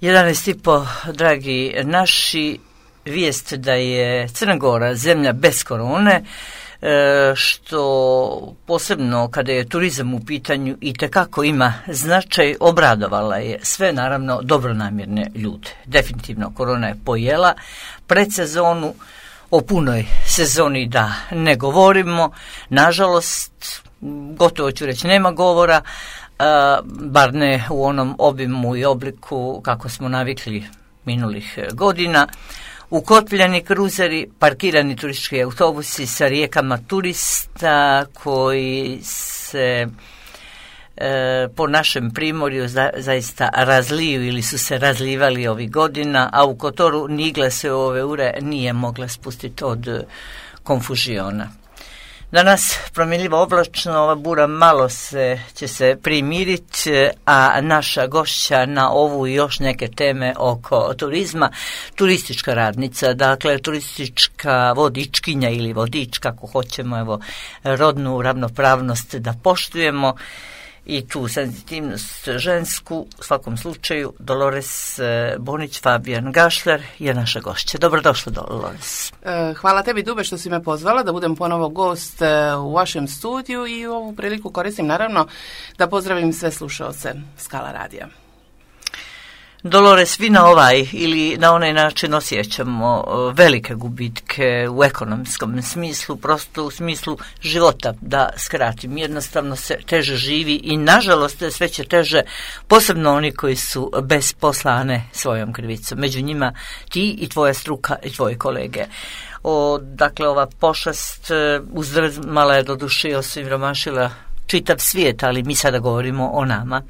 11,5, dragi naši, vijest da je Crna Gora zemlja bez korone, što posebno kada je turizam u pitanju itekako ima značaj, obradovala je sve naravno dobronamjerne ljude. Definitivno korona je pojela predsezonu, o punoj sezoni da ne govorimo, nažalost, gotovo ću reći nema govora, bar ne u onom obimu i obliku kako smo navikli minulih godina. Ukotpljeni kruzeri, parkirani turistički autobusi sa rijekama turista koji se po našem primorju zaista razliju ili su se razlivali ovih godina, a u Kotoru Nigla se u ove ure nije mogla spustiti od konfužiona. Danas promjenljivo oblačno, ova bura malo će se primiriti, a naša gošća na ovu i još neke teme oko turizma, turistička radnica, dakle turistička vodičkinja ili vodič, kako hoćemo, evo, rodnu ravnopravnost da poštujemo i tu senzitivnost žensku. U svakom slučaju Dolores Bonić Fabijan Gašler je naša gošća. Dobrodošla, Dolores. Hvala tebi, Dube, što si me pozvala da budem ponovo gost u vašem studiju i ovu priliku koristim naravno da pozdravim sve slušaoce Skala radija. Dolores, vi na ovaj ili na onaj način osjećamo velike gubitke u ekonomskom smislu, prosto u smislu života, da skratim. Jednostavno se teže živi i nažalost sve će teže, posebno oni koji su bez posla, a ne svojom krivicom. Među njima ti i tvoja struka i tvoji kolege. Dakle, ova pošast uzdrmala je doduše i osiromašila čitav svijet, ali mi sada govorimo o nama.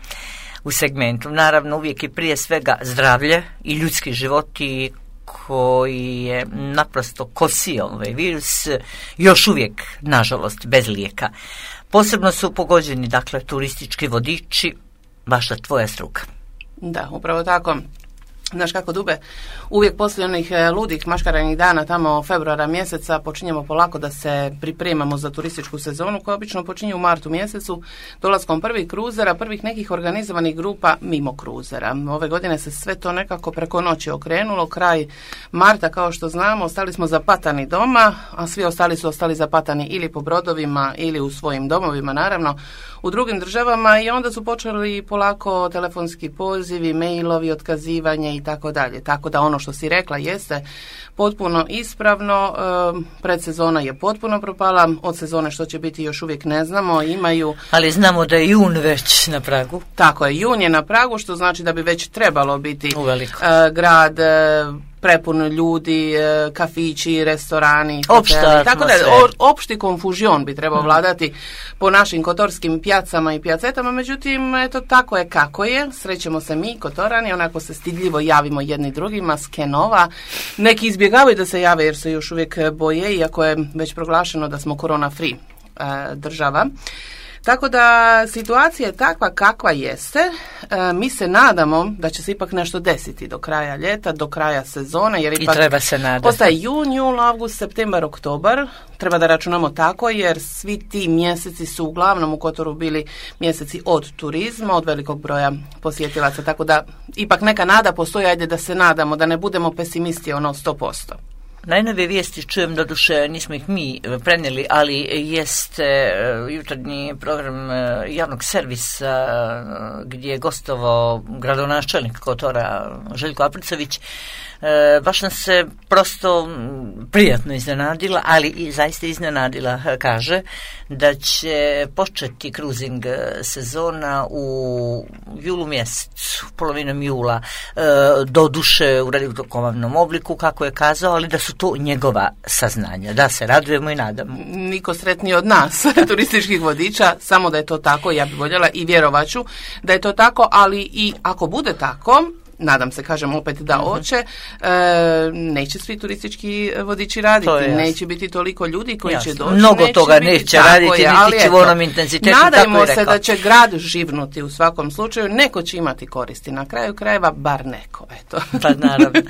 U segmentu, naravno, uvijek i prije svega zdravlje i ljudski životi koji je naprosto kosio ovaj virus, još uvijek, nažalost, bez lijeka. Posebno su pogođeni, dakle, turistički vodiči, baš tvoja struka. Da, upravo tako. Znaš kako, Dube, uvijek poslije onih ludih maškaranih dana tamo februara mjeseca počinjemo polako da se pripremamo za turističku sezonu koja obično počinje u martu mjesecu dolaskom prvih kruzera, prvih nekih organizovanih grupa mimo kruzera. Ove godine se sve to nekako preko noći okrenulo. Kraj marta, kao što znamo, ostali smo zapatani doma, a svi ostali su ostali zapatani ili po brodovima ili u svojim domovima, naravno, u drugim državama, i onda su počeli polako telefonski pozivi, mailovi, otkazivanje i tako dalje. Tako da ono što si rekla jeste potpuno ispravno. Predsezona je potpuno propala, od sezone što će biti još uvijek ne znamo. Ali znamo da je jun već na pragu. Tako je, jun je na pragu, što znači da bi već trebalo biti grad prepun ljudi, kafići, restorani, hoteli, tako da opšti konfužion bi trebao vladati po našim kotorskim pjacama i pjacetama. Međutim, eto, tako je kako je. Srećemo se mi, Kotorani, onako se stidljivo javimo jedni drugima, skenova. Neki izbjegavaju da se jave jer se još uvijek boje, iako je već proglašeno da smo korona free država. Tako da situacija je takva kakva jeste. Mi se nadamo da će se ipak nešto desiti do kraja ljeta, do kraja sezone, jer ipak treba se nadati. Postaje jun, jul, avgust, septembar, oktobar. Treba da računamo tako, jer svi ti mjeseci su uglavnom u Kotoru bili mjeseci od turizma, od velikog broja posjetilaca. Tako da ipak neka nada postoji, ajde da se nadamo, da ne budemo pesimisti 100%. Najnovije vijesti čujem, doduše nismo ih mi prenijeli, ali jeste jutarnji program javnog servisa gdje je gostovao gradonačelnik Kotora Željko Apricović. Baš nas se prosto prijatno iznenadila, ali i zaista iznenadila, kaže da će početi kruzing sezona u julu mjesecu, polovinom jula, doduše u redukovavnom obliku, kako je kazao, ali da su to njegova saznanja, da se radujemo i nadamo. Niko sretniji od nas, turističkih vodiča, samo da je to tako, ja bih voljela i vjerovaću da je to tako, ali i ako bude tako, nadam se, kažem opet da hoće, neće svi turistički vodiči raditi, neće biti toliko ljudi koji će doći. Mnogo toga neće raditi, niti će u onom intenzitetu. Nadajmo se da će grad živnuti u svakom slučaju, neko će imati koristi, na kraju krajeva bar neko. Eto. Pa naravno.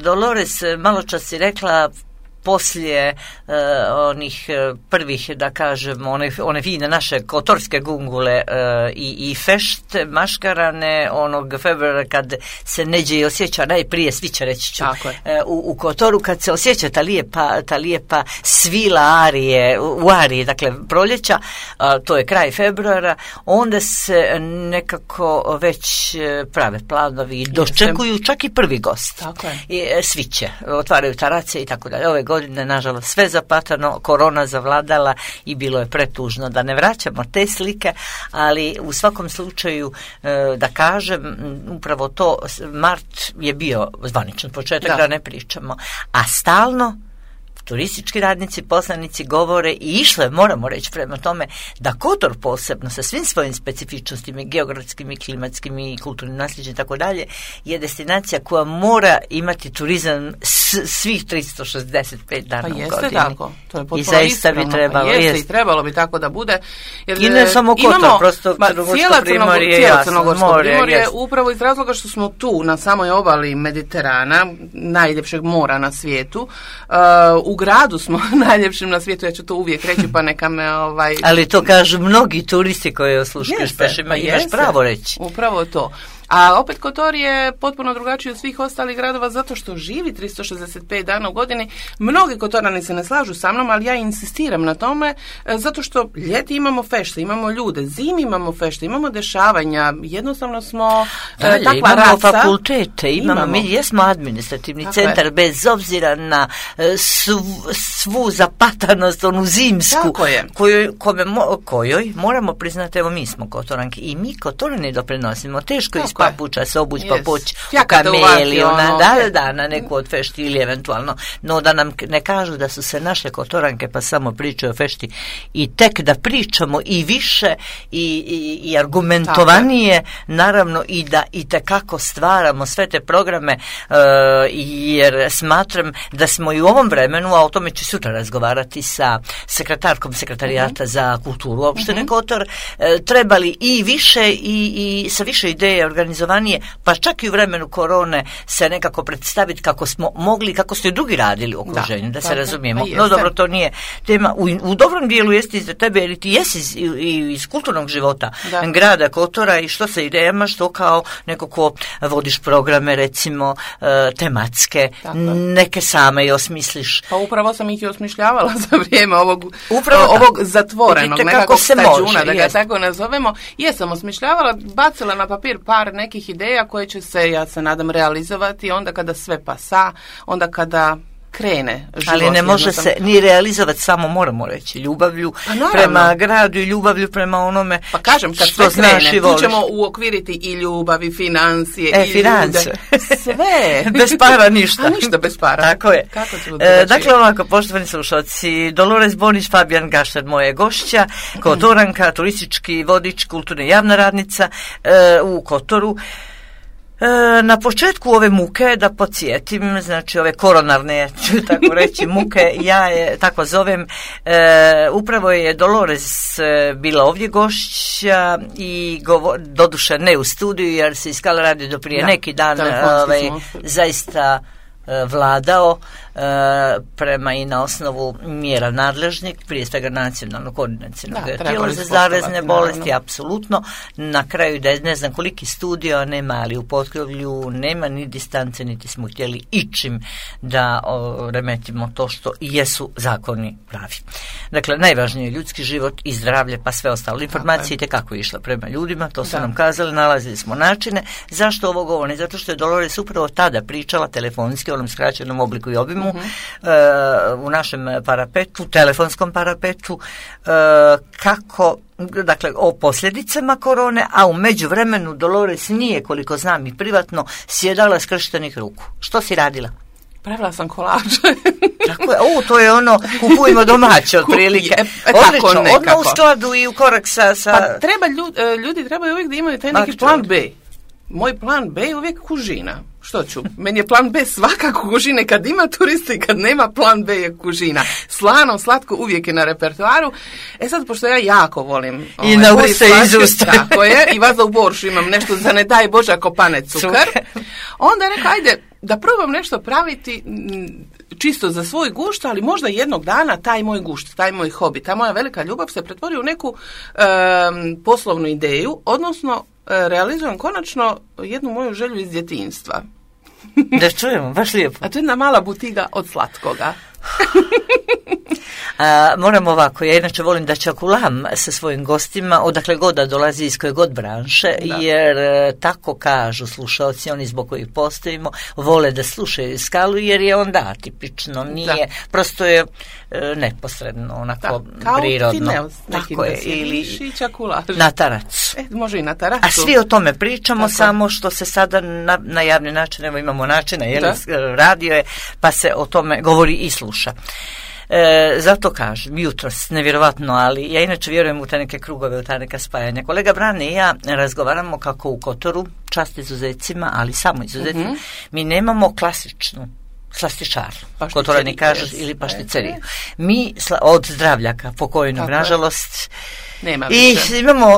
Dolores, malo čas si rekla, poslije onih prvih, da kažem, one fine naše kotorske gungule i fešte, maškarane, onog februara kad se neđe i osjeća najprije, svi će reći ću, u Kotoru, kad se osjeća ta lijepa svila arije, u ariji, dakle proljeća, to je kraj februara, onda se nekako već prave planovi i dočekuju čak i prvi gost. I sviće, otvaraju tarace i tako dalje. Ove godine, nažalost, sve zapatano, korona zavladala i bilo je pretužno da ne vraćamo te slike, ali u svakom slučaju, da kažem, upravo to, mart je bio zvaničan početak, da ne pričamo, a stalno turistički radnici, poslanici govore i išle, moramo reći prema tome, da Kotor posebno sa svim svojim specifičnostima, geografskim i klimatskim i kulturnim nasljeđem i tako dalje, je destinacija koja mora imati turizam svih 365 dana u godini. Pa jeste tako, to je potpuno ispravno. I zaista bi trebalo. Jeste i trebalo bi tako da bude. Jer i ne samo Kotor, prosto Crnogorsko primorje, cijelo Crnogorsko primorje, upravo iz razloga što smo tu na samoj obali Mediterana, najljepšeg mora na svijetu, u gradu smo najljepšim na svijetu, ja ću to uvijek reći, pa neka me Ali to kažu mnogi turisti koji osluškuju, imaš pravo reći. Upravo to. A opet Kotor je potpuno drugačiji od svih ostalih gradova zato što živi 365 dana u godini. Mnogi Kotorani se ne slažu sa mnom, ali ja insistiram na tome zato što ljeti imamo fešte, imamo ljude, zimi imamo fešte, imamo dešavanja, jednostavno smo takva raca. Imamo fakultete, mi jesmo administrativni centar bez obzira na svu zapatanost, onu zimsku, kojoj moramo priznati, evo mi smo Kotoranki i mi Kotorani doprinosimo, teško iz papuča se obući, pa poći u kameli, na neku od fešti ili eventualno, no da nam ne kažu da su se naše Kotoranke pa samo pričaju o fešti i tek da pričamo i više i argumentovanije, naravno i da itekako stvaramo sve te programe, jer smatram da smo i u ovom vremenu, a o tome ću sutra razgovarati sa sekretarkom sekretarijata za kulturu opštine Kotor, trebali i više i sa više ideje organizovanije, pa čak i u vremenu korone se nekako predstaviti kako smo mogli, kako su i drugi radili u okruženju, da se razumijemo. No dobro, to nije tema. U dobrom dijelu jeste iz tebe, jer ti jesi iz kulturnog života grada Kotora i što sa idejama, što kao neko ko vodiš programe, recimo tematske, neke same i osmisliš. Pa upravo sam ih i osmišljavala za vrijeme ovog zatvorenog nekakvog stađuna, da ga tako nazovemo. Jesam osmišljavala, bacila na papir par nekih ideja koje će se, ja se nadam, realizovati onda kada sve pasa, onda kada krene život. Ali ne može se ni realizovati samo, moramo reći, ljubavlju prema gradu i ljubavlju prema onome pa kažem, kad što sve krene, tu ćemo uokviriti i ljubav i financije i finance. Ljude. Sve. Bez para ništa. A ništa bez para. Tako je. Kako dakle, ovako, poštovani slušalci, Dolores Bonić, Fabijan Gašter, moje gošća, Kotoranka, turistički vodič, kulturna javna radnica u Kotoru. Na početku ove muke, da podsjetim, znači ove koronarne, ću tako reći, muke, ja je tako zovem, upravo je Dolores bila ovdje gošća i doduše ne u studiju, jer se iskala radi do prije neki dan zaista vladao prema i na osnovu mjera nadležnih, prije svega nacionalnog koordinacionog tijela za zarazne bolesti, apsolutno. Na kraju da ne znam koliki studio nema, ali u potkrovlju nema ni distance, niti smo htjeli ičim da remetimo to što jesu zakoni pravi. Dakle, najvažnije je ljudski život i zdravlje, pa sve ostalo. Informacije kako je išla prema ljudima, to su nam kazali, nalazili smo načine. Zašto ovo govorim? Zato što je Dolores upravo tada pričala telefonski, u onom skraćenom obliku i obimu, u našem parapetu, telefonskom parapetu, kako, dakle, o posljedicama korone, a u međuvremenu Dolores nije, koliko znam i privatno, sjedala skrštenih ruku. Što si radila? Pravila sam kolače. Tako je, to je ono, kupujemo domaće otprilike. Odlično, odmah u skladu i u korak sa... Pa treba, ljudi trebaju uvijek da imaju taj neki plan B. Moj plan B je uvijek kužina. Što ću? Meni je plan B svakako kužine. Kad ima turista i kad nema, plan B je kužina. Slano, slatko uvijek je na repertoaru. Sad, pošto ja jako volim... I na usta iz usta. Tako je. I vas da u boršu imam nešto za ne daj Bože ako pane cukar. Onda je rekao, ajde, da probam nešto praviti čisto za svoj gušt, ali možda jednog dana taj moj gušt, taj moj hobi, ta moja velika ljubav se pretvori u neku poslovnu ideju, odnosno realizujem konačno jednu moju želju iz djetinjstva. Da čujemo, baš lijepo. A to je jedna mala butiga od slatkoga. Moram ovako, ja inače volim da čakulam sa svojim gostima, odakle god da dolazi, iz koje god branše, jer tako kažu slušalci, oni zbog kojih postojimo, vole da slušaju Skalu, jer je onda atipično, nije, prosto je neposredno, onako prirodno. Tako je, ili na taracu. Može i na taracu. A svi o tome pričamo, samo što se sada na javni način, evo imamo načina, radio je, pa se o tome govori i sluša. Zato kažem, jutros, nevjerovatno, ali ja inače vjerujem u te neke krugove, u ta neka spajanja. Kolega Brane i ja razgovaramo kako u Kotoru, čast izuzecima, ali samo izuzecima, mi nemamo klasičnu slastičarnu, Kotorani kažu, ili pašticeriju. Mi od Zdravljaka, pokojnog, nažalost, i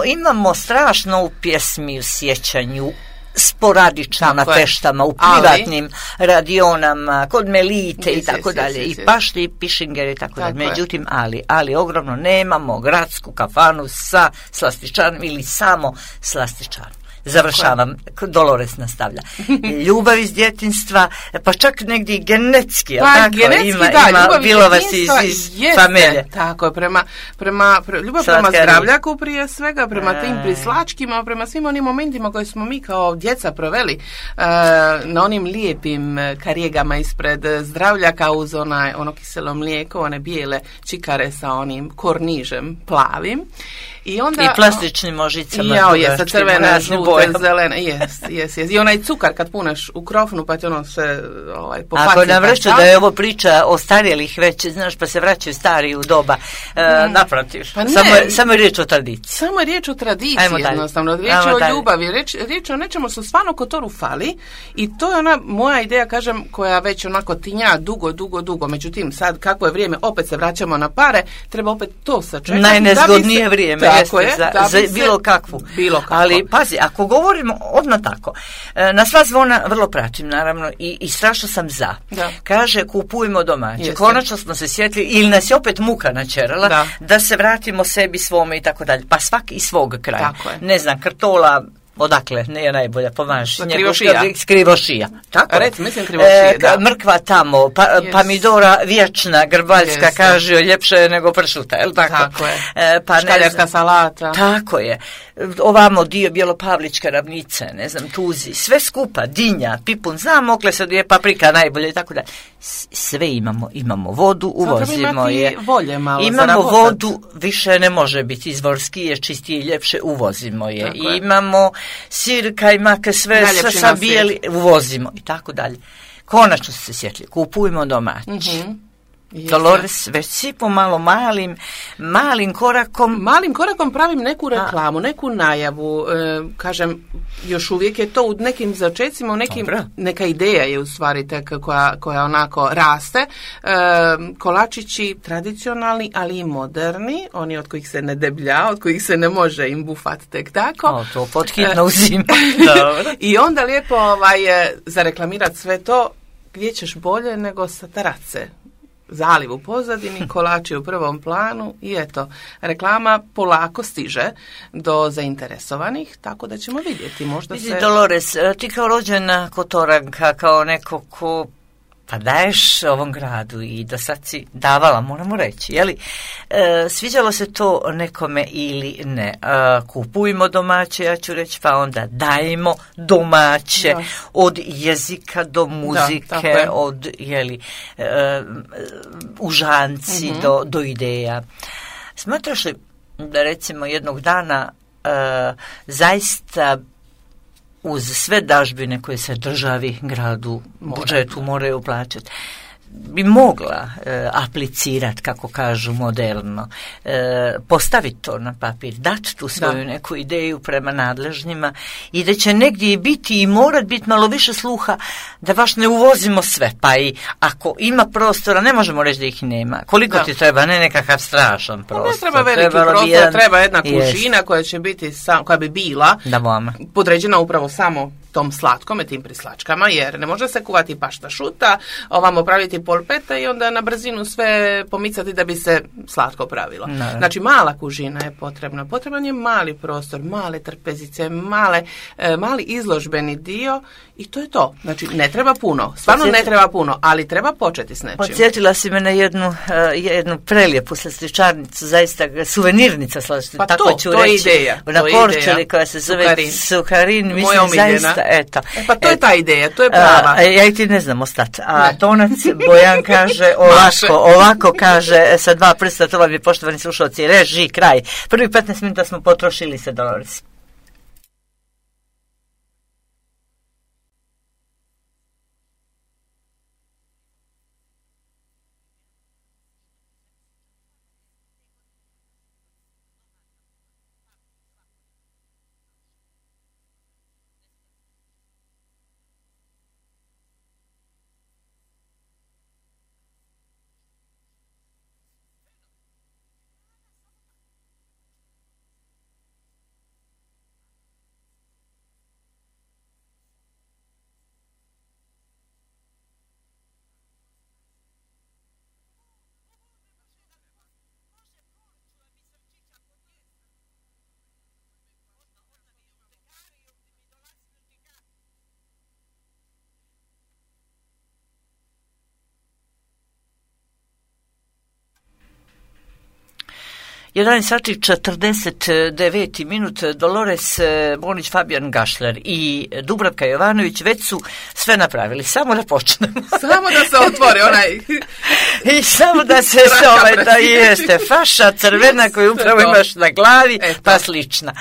imamo strašno u pjesmi, u sjećanju, sporadično na feštama, u privatnim radionama, kod Melite i tako dalje, i pašte i pišingere i tako dalje. Međutim, ali ogromno nemamo gradsku kafanu sa slastičarnom ili samo slastičarnom. Završavam, Dolores nastavlja. Ljubav iz djetinjstva, pa čak negdje i genetski, ima bilova iz familije. Tako je, ljubav prema Zdravljaku prije svega, prema tim prislačkima, prema svim onim momentima koje smo mi kao djeca proveli na onim lijepim karijegama ispred Zdravljaka uz ono kiselo mlijeko, one bijele čikare sa onim kornižem plavim. I plastičnim možicama. Sa crvene, žute, zelene. Jes. I onaj cukar kad puneš u krofnu pa ti ono se pofaci. Ako nam reći da je ovo priča o starijelih već, znaš, pa se vraćaju stari u doba, naprotiv. Samo je riječ o tradiciji. Samo je riječ o tradiciji, jednostavno. Riječ je o ljubavi. Riječ je o nečemu što stvarno Kotoru fali i to je ona moja ideja, kažem, koja već onako tinja dugo. Međutim, sad kako je vrijeme, opet se vraćamo na pare, treba opet to sačekati. Najnezgodnije vrijeme. Za bilo kakvu. Ali pazi, ako govorimo odmah tako, na sva zvona vrlo pratim naravno i strašno sam za. Kaže kupujmo domaće. Konačno smo se sjetili ili nas je opet muka načerala da se vratimo sebi svome i tako dalje. Pa svaki iz svog kraja. Ne znam, Krtola, odakle, nije najbolja, pomaži. Krivošija. Tako? Mislim Krivošija, Mrkva tamo, pomidora vječna, grbaljska, kaže, ljepše je nego pršuta, je li tako? Tako je. Škaljarska salata. Tako je. Ovamo dio Bjelopavličke ravnice, ne znam, Tuzi, sve skupa, dinja, pipun, znam, okle se je paprika najbolje i tako dalje. Sve imamo vodu, uvozimo je. Imamo vodu, više ne može biti izvorski, je čistije i ljepše, uvozimo je. Imamo sir, kajmak, sve sa bijeli, uvozimo i tako dalje. Konačno se sjetili, kupujemo domaći. Dolores, već si pomalo malim korakom pravim neku reklamu, neku najavu, kažem, još uvijek je to u nekim začecima, neka ideja je u stvari tek koja onako raste. Kolačići tradicionalni, ali i moderni, oni od kojih se ne deblja, od kojih se ne može im bufat tek tako. To pothitno uzima. I onda lijepo zareklamirati sve to, gdje ćeš bolje nego sa tarace. Zaliv u pozadini, kolači u prvom planu i eto, reklama polako stiže do zainteresovanih, tako da ćemo vidjeti. Dolores, ti kao rođena Kotoranka, kao neko ko pa daješ ovom gradu i do sad si davala, moramo reći, jeli? Sviđalo se to nekome ili ne? Kupujmo domaće, ja ću reći, pa onda dajemo domaće, od jezika do muzike, od užanci do ideja. Smatraš li da recimo jednog dana zaista uz sve dažbine koje se državi, gradu, budžetu moraju plaćati, bi mogla aplicirati, kako kažu moderno, postaviti to na papir, dati tu svoju neku ideju prema nadležnjima i da će negdje biti i morat biti malo više sluha da baš ne uvozimo sve, pa i ako ima prostora, ne možemo reći da ih nema. Koliko ti treba, ne nekakav strašan prostor. Ne treba veliki prostor, treba jedna kužina koja će biti, koja bi bila podređena upravo samo tom slatkome, tim prislačkama, jer ne može se kuvati pašta šuta, ovamo praviti polpete i onda na brzinu sve pomicati da bi se slatko pravilo. Znači, mala kužina je potrebna. Potreban je mali prostor, male trpezice, mali izložbeni dio i to je to. Znači, ne treba puno. Stvarno ne treba puno, ali treba početi s nečim. Podsjetila si me na jednu prelijepu slastičarnicu, zaista suvenirnica slastičarnica. Pa tako ću to reći. Je ideja. Na Korčuli koja se zove Sukarin. Mislim, moja omiljena. Zaista, eto. Pa to je ta ideja, to je prava. Ja i ti ne znam ostati. A tonac Bojan kaže ovako kaže sa 2 prsta, to vam je, poštovani slušalci, reži, kraj. Prvi 15 minuta smo potrošili se, Dolores. Jedan sati 49 minut. Dolores Bonić, Fabijan Gašler i Dubravka Jovanović već su sve napravili. Samo da počnemo. Samo da se otvori onaj... I samo da se da jeste faša crvena koju upravo imaš na glavi, pa slična.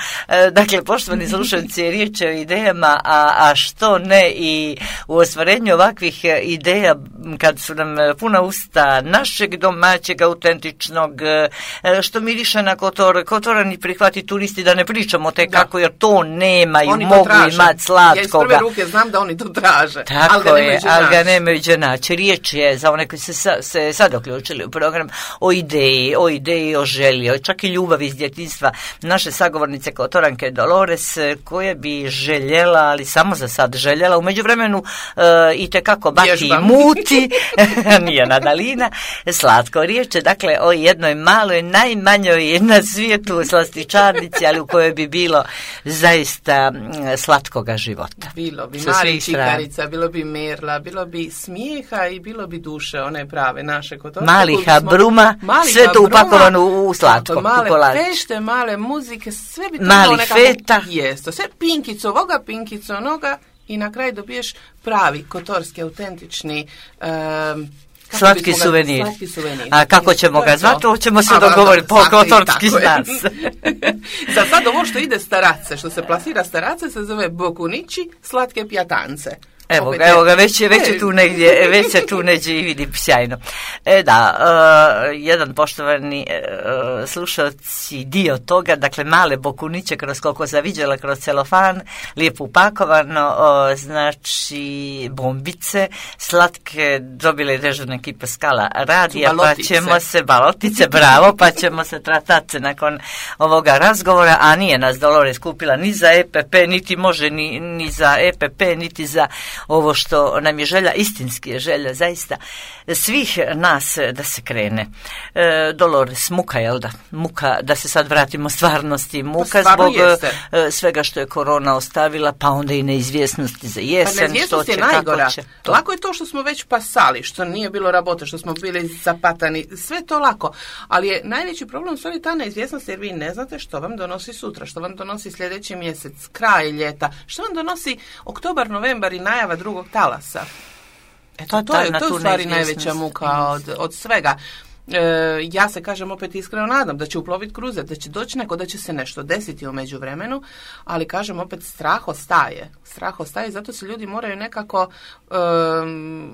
Dakle, poštovani slušalci, riječ je o idejama, a što ne i u ostvarenju ovakvih ideja kad su nam puna usta našeg domaćeg, autentičnog, što miriše na Kotora ni prihvati turisti, da ne pričamo te kako, jer to nemaju, mogu imati slatkoga. Ja iz prve ruke znam da oni to traže, tako ali ga nemaju gdje naći. Riječ je, za one koji se sad uključili u program, o ideji, o želji, čak i ljubavi iz djetinjstva naše sagovornice Kotoranke Dolores, koje bi željela, ali samo za sad željela, u međuvremenu itekako baki i muti, nije Nadalina, slatko. Riječ je dakle o jednoj maloj, najmanjoj na svijetu slastičarnici, ali u kojoj bi bilo zaista slatkoga života. Bilo bi mali čikarica, bilo bi merla, bilo bi smijeha i bilo bi duše, one prave naše Kotorke. Malih bruma, sve to upakovano u slatko. Male fešte, male muzike, sve bi to mali feta. Jesto, sve pinkico ovoga, pinkico onoga i na kraju dobiješ pravi kotorski, autentični slatki suvenir. A kako ćemo ga zvati, to ćemo se dogovoriti po kotorski nas. Za sad ovo što ide starace, što se plasira starace, se zove bokunići, slatke pjatance. Evo ga, već se tu negdje i vidi sjajno. Jedan poštovani slušalci dio toga, dakle male bokuniće kroz koliko sam vidjela, kroz celofan, lijepo upakovano, znači bombice, slatke, dobile dežurna ekipa Skala radija, pa ćemo se, balotice, bravo, pa ćemo se tratati nakon ovoga razgovora, a nije nas Dolores kupila ni za EPP, niti može ni za EPP, niti za ovo što nam je želja, istinski je želja zaista svih nas da se krene. Dolores, muka, jel da? Muka, da se sad vratimo stvarnosti, muka zbog svega što je korona ostavila, pa onda i neizvjesnosti za jesen, što će, kako će. Lako je to što smo već pasali, što nije bilo rabote, što smo bili zapatani, sve to lako, ali je najveći problem u stvari ta neizvjesnost, jer vi ne znate što vam donosi sutra, što vam donosi sljedeći mjesec, kraj ljeta, što vam donosi oktobar, novembar i najava drugog talasa. Eto, to je u stvari najveća muka od svega. Ja se, kažem, opet iskreno nadam da će uploviti kruzet, da će doći neko, da će se nešto desiti u međuvremenu, ali kažem opet, strah ostaje, zato se ljudi moraju nekako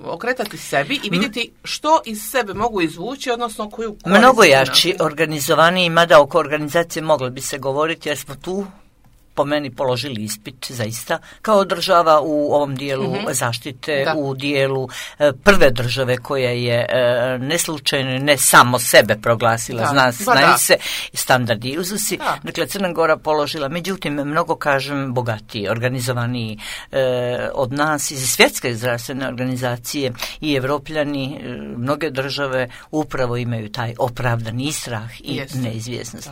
okretati sebi i vidjeti što iz sebe mogu izvući, odnosno koju korist. Mnogo jači, organizovaniji, mada oko organizacije moglo bi se govoriti, jer smo tu po meni položili ispit zaista kao država u ovom dijelu zaštite, u dijelu prve države koja je neslučajno ne samo sebe proglasila, znaju se standardi i uzusi. Dakle, Crna Gora položila, međutim, mnogo, kažem, bogatiji, organizovaniji od nas iz svjetske zdravstvene organizacije i Evropljani, mnoge države upravo imaju taj opravdani strah i neizvjesnost.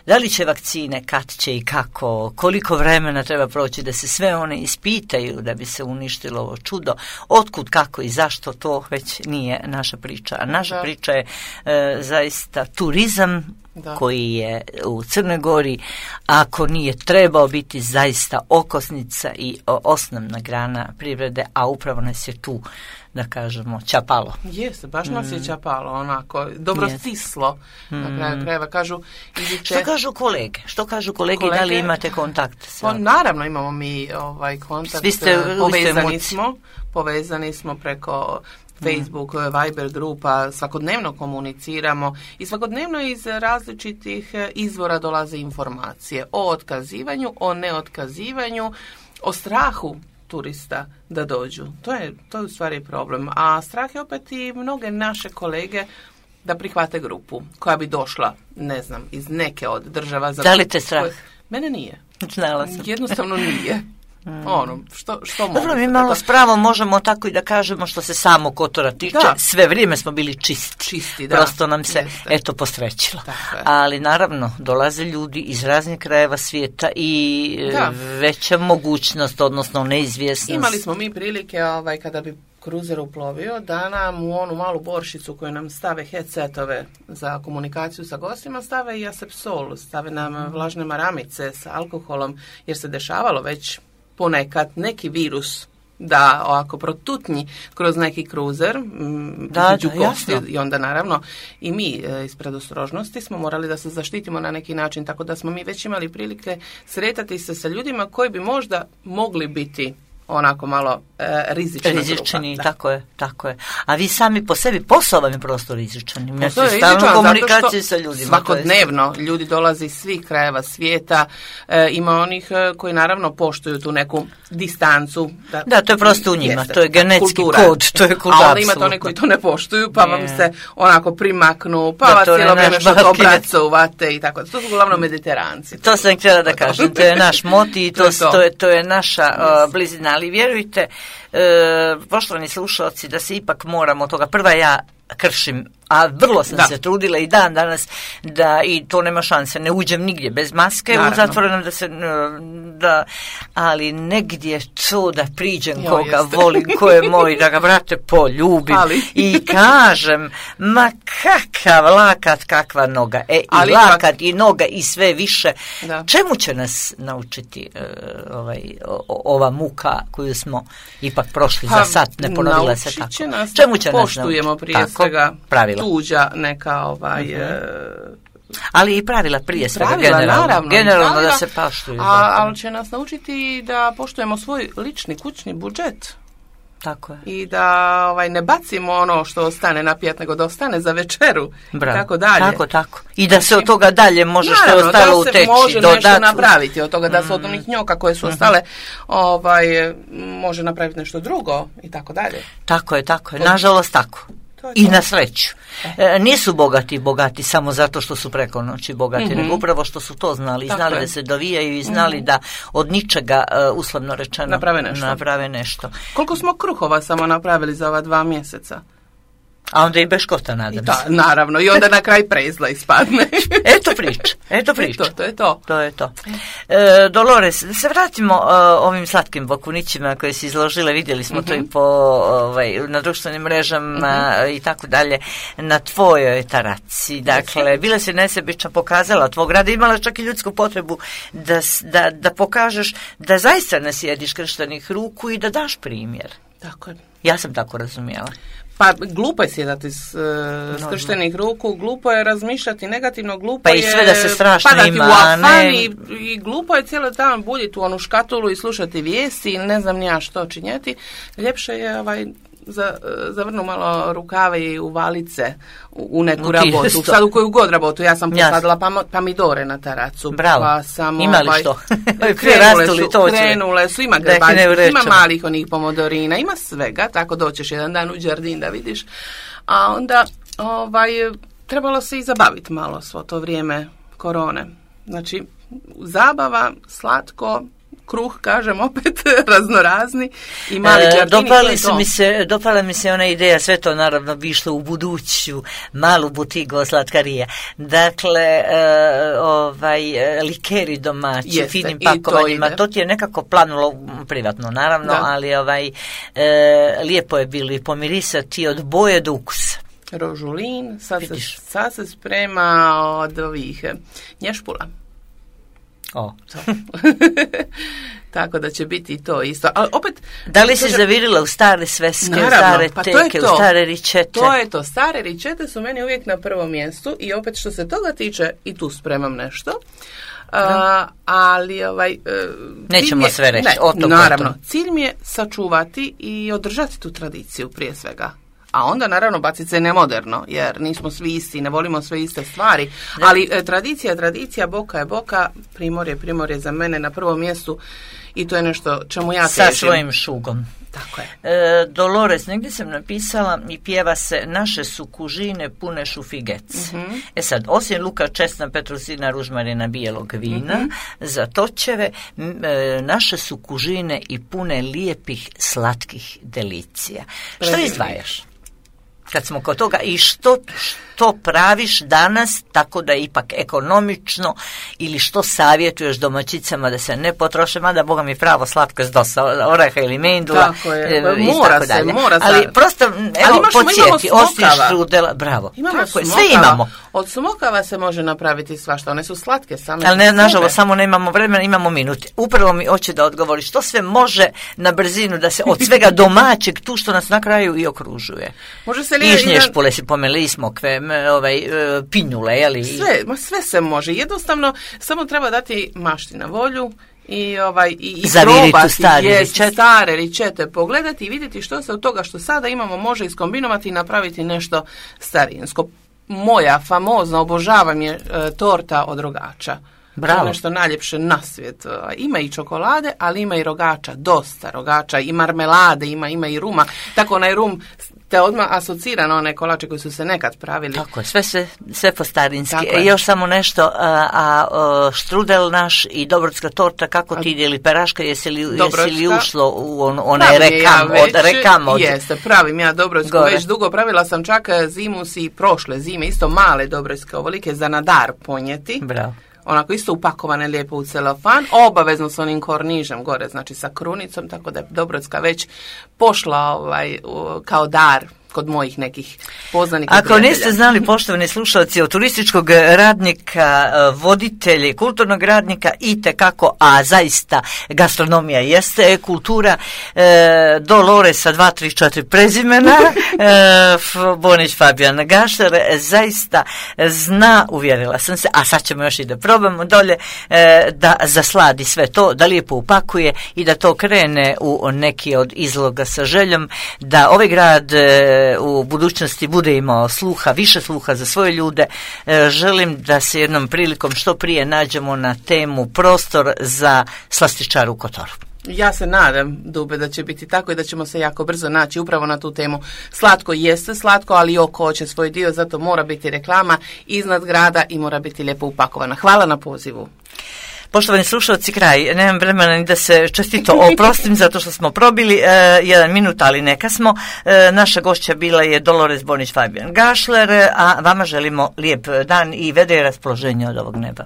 Da li će vakcine, kad će i kako, koliko vremena treba proći da se sve one ispitaju da bi se uništilo ovo čudo, otkud, kako i zašto, to već nije naša priča. A naša priča je zaista turizam koji je u Crnoj Gori, ako nije trebao biti zaista okosnica i osnovna grana privrede, a upravo nas je tu, da kažemo, čapalo. Jeste, baš nas je čapalo, onako, dobro stislo, na kraju krajeva. Što kažu kolege, da li imate kontakt? Pa, naravno imamo mi kontakt, povezani smo preko Facebook, Viber grupa, svakodnevno komuniciramo i svakodnevno iz različitih izvora dolaze informacije o otkazivanju, o neotkazivanju, o strahu turista da dođu. To je u stvari problem. A strah je opet i mnoge naše kolege da prihvate grupu koja bi došla, ne znam, iz neke od država. Da li te strah? Mene nije. Znala sam. Jednostavno nije. Što mogu? Dobro, mi malo s pravom možemo tako i da kažemo, što se samo Kotora tiče, sve vrijeme smo bili čisti, prosto nam se posrećilo. Ali naravno, dolaze ljudi iz raznih krajeva svijeta i veća mogućnost, odnosno neizvjesnost. Imali smo mi prilike, kada bi kruzer uplovio, da nam u onu malu boršicu koju nam stave headsetove za komunikaciju sa gostima, stave i asepsol, stave nam vlažne maramice sa alkoholom, jer se dešavalo već ponekad neki virus da ovako protutnji kroz neki kruzer među gosti, i onda naravno i mi iz predostrožnosti smo morali da se zaštitimo na neki način, tako da smo mi već imali prilike sretati se sa ljudima koji bi možda mogli biti onako malo rizični, tako je. A vi sami po sebi, posao vam je prosto rizičan. Imate stalnu komunikaciju sa ljudima. Svakodnevno ljudi dolaze iz svih krajeva svijeta, ima onih koji naravno poštuju tu neku distancu. To je prosto u njima, to je genetski kod, to je kod. A onda imate one koji to ne poštuju, pa vam se onako primaknu, pa vas cijelo vrijeme što obracovate i tako. To su uglavnom Mediteranci. To sam htjela da kažem, to je naš moti i to je naša blizina. Ali vjerujte, poštovani slušalci, da se ipak moramo toga. Prva, ja kršim, a vrlo sam se trudila i dan danas da, i to nema šanse, ne uđem nigdje bez maske, u zatvorenom ali negdje to da priđem koga volim, ko je moj, da ga, brate, poljubim i kažem, ma kakav lakat, kakva noga, i lakat i noga i sve više. Čemu će nas naučiti ova muka koju smo ipak prošli za sat, ne ponovila se tako? Čemu će nas poštujemo prije svega tuđa neka ali i pravila prije svega generalno da se poštuju. Ali će nas naučiti da poštujemo svoj lični kućni budžet. Tako je. I da ne bacimo ono što ostane na pijet, nego da ostane za večeru. Bravo. I tako dalje. Tako. I da se od toga dalje može što je ostalo uteći. Da se može nešto napraviti od toga, da se od onih njoka koje su ostale može napraviti nešto drugo i tako dalje. Tako je. Nažalost tako. I na sreću. Nisu bogati samo zato što su preko noći bogati, nego upravo što su to znali. Znali da se dovijaju i znali da od ničega, uslovno rečeno, naprave nešto. Koliko smo kruhova samo napravili za ova 2 mjeseca? A onda i beškota, nadam se. Naravno, i onda na kraj prezla ispadne. Eto priča. To je to. Dolores, da se vratimo ovim slatkim bokunićima koje si izložile, vidjeli smo to i na društvenim mrežama i tako dalje, na tvojoj taraci. Dakle, bila si nesebično pokazala tvog rada, imala čak i ljudsku potrebu da pokažeš da zaista ne sjediš krštenih ruku i da daš primjer. Tako je. Ja sam tako razumijela. Pa glupo je sjedati skrštenih ruku, glupo je razmišljati negativno, glupo je sve da se strašno padati ima, u afan i glupo je cijelo dan buljiti u onu škatulu i slušati vijesti ili ne znam ni ja što činjeti. Ljepše je zavrnu malo rukave i uvalit se u neku rabotu. Sad u koju god rabotu. Ja sam posadila pomidore na teracu. Bravo. Pa sam, ima li što? Krenule su, ima grebaljki, ima malih onih pomodorina, ima svega, tako doćeš jedan dan u Đardin da vidiš. A onda trebalo se i zabaviti malo svo to vrijeme korone. Znači, zabava, slatko, kruh, kažem opet, raznorazni i mali Đardini. Dopala mi se ona ideja, sve to naravno bi išlo u buduću malu butigu slatkarija. Dakle, likeri domaći, finim pakovanjima, to ti je nekako planulo privatno, naravno, ali lijepo je bilo i pomirisati od boje do ukusa. Rožulin, sad se sprema od ovih nješpula. Tako da će biti i to isto. Ali opet, da li si zavirila u stare sveske, naravno, u stare teke, u stare ričete? To je to. Stare ričete su meni uvijek na prvom mjestu i opet što se toga tiče i tu spremam nešto. Ali nećemo sve reći. Naravno, cilj mi je sačuvati i održati tu tradiciju prije svega. A onda naravno baciti se nemoderno, jer nismo svi isti, ne volimo sve iste stvari. Ali tradicija, boka je boka, primorje za mene na prvom mjestu i to je nešto čemu ja težim. Sa svojim šugom. Tako je. Dolores, negdje sam napisala i pjeva se naše su kužine pune šufigec. Mm-hmm. Sad, osim luka, česna, petrusina, ružmarina, bijelog vina, za točeve, naše su kužine i pune lijepih, slatkih delicija. Što izdvajaš? Kad smo kod toga i što praviš danas tako da je ipak ekonomično ili što savjetuješ domaćicama da se ne potroše, mada Boga mi pravo slatko je dosta oreha ili mendula. Tako je, mora se. Ali prosto, evo, podsjeti, osim štrudela, bravo. Sve imamo. Od smokava se može napraviti svašta, one su slatke same. Ali nažalost, samo nemamo vremena, imamo minute. Upravo mi hoće da odgovoriš, što sve može na brzinu da se od svega domaćeg, tu što nas na kraju i okružuje. Može se Ižnješpule si pomeli, smokve, pinjule, jeli? Sve se može. Jednostavno, samo treba dati mašti na volju i probati stare ričete, pogledati i vidjeti što se od toga što sada imamo može iskombinovati i napraviti nešto starinsko. Moja famozna, obožavam je torta od rogača. Bravo. To je nešto najljepše na svijet. Ima i čokolade, ali ima i rogača, dosta rogača, i marmelade, ima i ruma. Tako onaj rum te odmah asocira na one kolače koji su se nekad pravili. Tako je, sve po starinski. Još samo nešto, štrudel naš i dobrodska torta, kako ti ide, ili peraška, jesi li ušlo u onaj rekam od... Jeste, pravim ja dobrodsku, već dugo pravila sam čak zimus i prošle zime, isto male dobrodske ovolike za na dar ponijeti. Bravo. Onako isto upakovane lijepo u celofan, obavezno s onim kornižem gore, znači sa krunicom, tako da je Dobrodska već pošla kao dar kod mojih nekih poznanika. Ako niste znali, poštovani slušalci, od turističkog radnika, voditelja, kulturnog radnika itekako, a zaista gastronomija jeste kultura, Dolores sa 2, 3, 4 prezimena, Bonić Fabijan Gašler, zaista zna, uvjerila sam se, a sad ćemo još i da probamo dolje, da zasladi sve to, da lijepo upakuje i da to krene u neki od izloga sa željom, da ovaj grad u budućnosti bude imao više sluha za svoje ljude. Želim da se jednom prilikom što prije nađemo na temu prostor za slastičar u Kotoru. Ja se nadam, Dube, da će biti tako i da ćemo se jako brzo naći upravo na tu temu. Slatko jeste slatko, ali oko hoće svoj dio, zato mora biti reklama iznad grada i mora biti lijepo upakovana. Hvala na pozivu. Poštovani slušalci, kraj, nemam vremena ni da se čestito oprostim zato što smo probili 1 minut, ali neka smo. Naša gošća bila je Dolores Bonić Fabijan Gašler, a vama želimo lijep dan i vedre raspoloženje od ovog neba.